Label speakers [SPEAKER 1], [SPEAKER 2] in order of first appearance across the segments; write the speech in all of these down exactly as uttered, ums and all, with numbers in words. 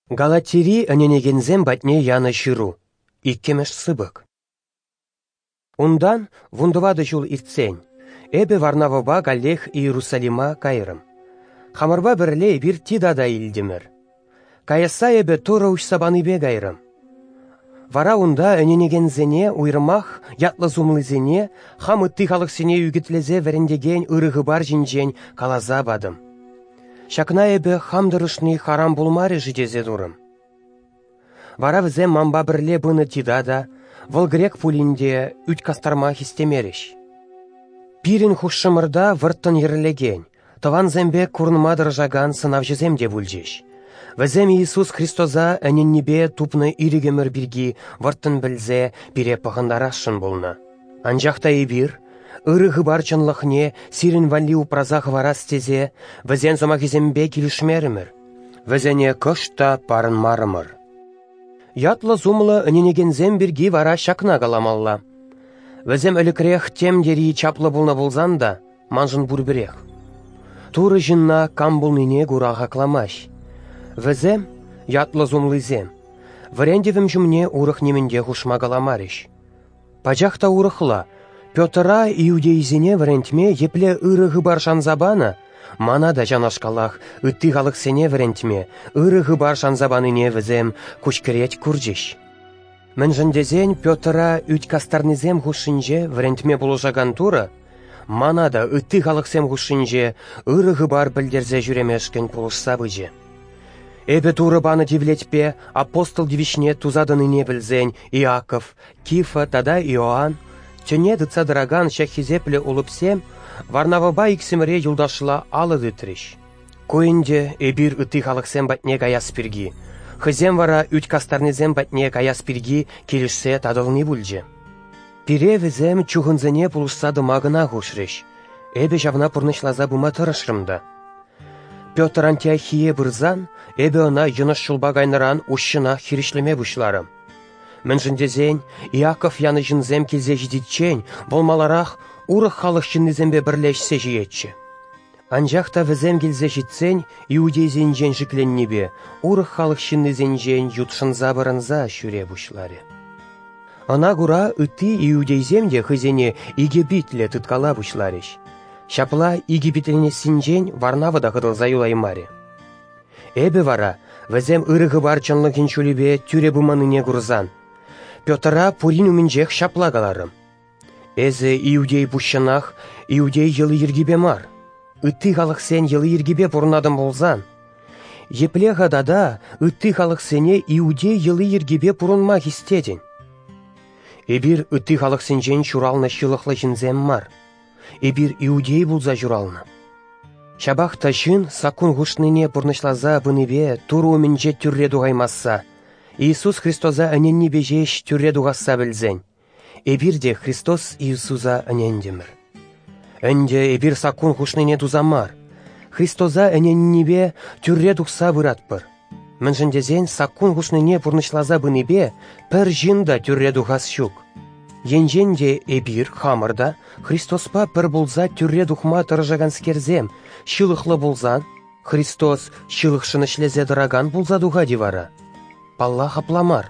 [SPEAKER 1] Галатири ӗненекенсем патне янӑ ҫыру, иккӗмӗш сыпӑк. Унтан, вунтӑватӑ ҫул иртсен, эпӗ Варнавӑпа каллех Иерусалима кайрӑм. Хамӑрпа пӗрле эпир Тита та илтӗмӗр. Каясса эпӗ Турӑ уҫса панипе кайрӑм. Вара унта ӗненекенсене, уйрӑмах ятлӑ-сумлисене, хам ытти халӑхсене ӳкӗтлесе вӗрентекен ырӑ хыпар ҫинчен каласа патӑм. Ҫакна эпӗ хам тӑрӑшни харам пулмарӗ-ши тесе турӑм. Вара вӗсем манпа пӗрле пынӑ Тита та, вӑл грек пулин те, ӳт кастарма хистемерӗҫ. Пирӗн хушшӑмӑрта вӑрттӑн йӗрлекен, тӑвансем пек курӑнма тӑрӑшакан сӑнавҫӑсем те пулчӗҫ. Вӗсем Иисус Христоса ӗненнипе тупнӑ ирӗкӗмӗр пирки вӑрттӑн пӗлсе пире пӑхӑнтарасшӑн пулнӑ. Анчах та эпир, ырӑ хыпар чӑнлӑхне сирӗн валли упраса хӑварас тесе, вӗсен сӑмахӗсемпе килӗшмерӗмӗр, вӗсене кӑшт та парӑнмарӑмӑр. Ятлӑ-сумлӑ ӗненекенсем пирки вара ҫакна каламалла. Вӗсем ӗлӗкрех тем тери чаплӑ пулнӑ пулсан та, маншӑн пурпӗрех. Турӑ ҫынна кам пулнине кура хакламасть. Вӗсем, ятлӑ-сумлисем, вӗрентӗвӗм ҫумне урӑх нимӗн те хушма каламарӗҫ. Пачах та урӑхла, Петра иудейсене вӗрентме епле ырӑ хыпар шанса панӑ, мана та ҫавнашкалах ытти халӑхсене вӗрентме ырӑ хыпар шанса панине вӗсем куҫкӗрет курчӗҫ. Мӗншӗн тесен Петра ӳт кастарнисем хушшинче вӗрентме пулӑшакан Турӑ мана та ытти халӑхсем хушшинче ырӑ хыпар пӗлтерсе ҫӳремешкӗн пулӑшса пычӗ. Эпӗ Турӑ панӑ тивлетпе апостол тивӗҫне туса тӑнине пӗлсен Иаков, Кифа тата Иоанн, тӗне тытса тӑракан ҫак хисеплӗ улӑпсем Варнавӑпа иксӗмӗре юлташла алӑ тытрӗҫ. Ку ӗнтӗ эпир ытти халӑхсем патне каяс пирки, хӑйсем вара ӳт кастарнисем патне каяс пирки килӗшсе татӑлни пулчӗ. Пире вӗсем чухӑнсене пулӑшса тӑма кӑна хушрӗҫ. Эпӗ ҫавна пурнӑҫласа пыма тӑрӑшрӑм та. Петр Антиохие пырсан, эпӗ ӑна йӑнӑш ҫулпа кайнӑран уҫҫӑнах хирӗҫлеме пуҫларӑм. Мӗншӗн тесен Иаков янӑ ҫынсем килсе ҫитиччен вӑл маларах урӑх халӑх ҫыннисемпе пӗрле ӗҫсе ҫиетчӗ. Анчах та вӗсем килсе ҫитсен иудейсенчен шикленнипе урӑх халӑх ҫыннисенчен ютшӑнса пӑрӑнса ҫӳре пуҫларӗ. Ӑна кура ытти иудейсем те хӑйсене икӗ питлӗ тыткала пуҫларӗҫ. Ҫапла икӗ питленессинчен Варнава та хӑтӑлса юлаймарӗ. Эпӗ вара вӗсем ырӑ хыпар чӑнлӑхӗн ҫулӗпе тӳрӗ пыманнине курсан, Петра пурин умӗнчех ҫапла каларӑм: «Эсӗ иудей пуҫҫӑнах иудей йӑли-йӗркипе мар, ытти халӑхсен йӑли-йӗркипе пурӑнатӑн пулсан, епле-ха тата ытти халӑхсене иудей йӑли-йӗркипе пурӑнма хистетӗн? Эпир ытти халӑхсенчен ҫуралнӑ ҫылӑхлӑ ҫынсем мар, эпир иудей пулса ҫуралнӑ. Ҫапах та ҫын саккун хушнине пурнӑҫласа пынипе Турӑ умӗнче тӳрре тухаймасса, Иисус Христоса ӗненнипе ҫеҫ тӳрре тухасса пӗлсен, эпир те Христос Иисуса ӗнентӗмӗр. Ӗнтӗ эпир саккун хушнине туса мар, Христоса ӗненнипе тӳрре тухса пыратпӑр. Мӗншӗн тесен саккун хушнине пурнӑҫласа пынипе пӗр ҫын та тӳрре тухас ҫук. Енчен те эпир хамӑр та Христоспа пӗр пулса тӳрре тухма тӑрӑшаканскерсем ҫылӑхлӑ пулсан, Христос ҫылӑхшӑн ӗҫлесе тӑракан пулса тухать-и вара? Паллах, апла мар.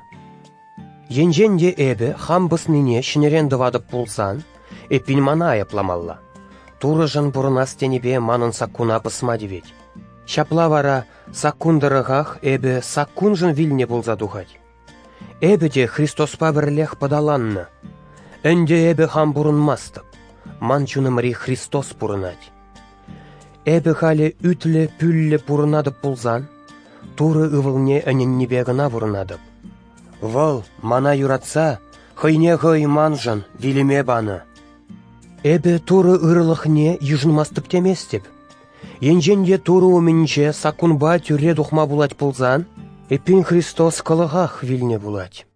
[SPEAKER 1] Енчен те эпӗ хам пӑснине ҫӗнӗрен тӑватӑп пулсан, эппин мана айӑпламалла. Турӑшӑн пурӑнас тенипе манӑн саккуна пӑсма тивет. Ҫапла вара саккун тӑрӑхах эпӗ саккуншӑн вилнӗ пулса тухать. Эпӗ те Христоспа пӗрлех пӑталаннӑ. Ӗнтӗ эпӗ хам пурӑнмастӑп, ман чунӑмри Христос пурӑнать. Эпӗ халӗ ӳтлӗ-пӳллӗ пурӑнатӑп пулсан, Турӑ ывӑлне ӗненнипе кӑна пурӑнатӑп. Вӑл мана юратса хӑйне хӑй маншӑн вилӗме панӑ. Эпӗ Турӑ ырӑлӑхне йышӑнмастӑп теместӗп. Енчен те Турӑ умӗнче саккунпа тӳрре тухма пулать пулсан, эппин Христос кӑлӑхах вилнӗ пулать.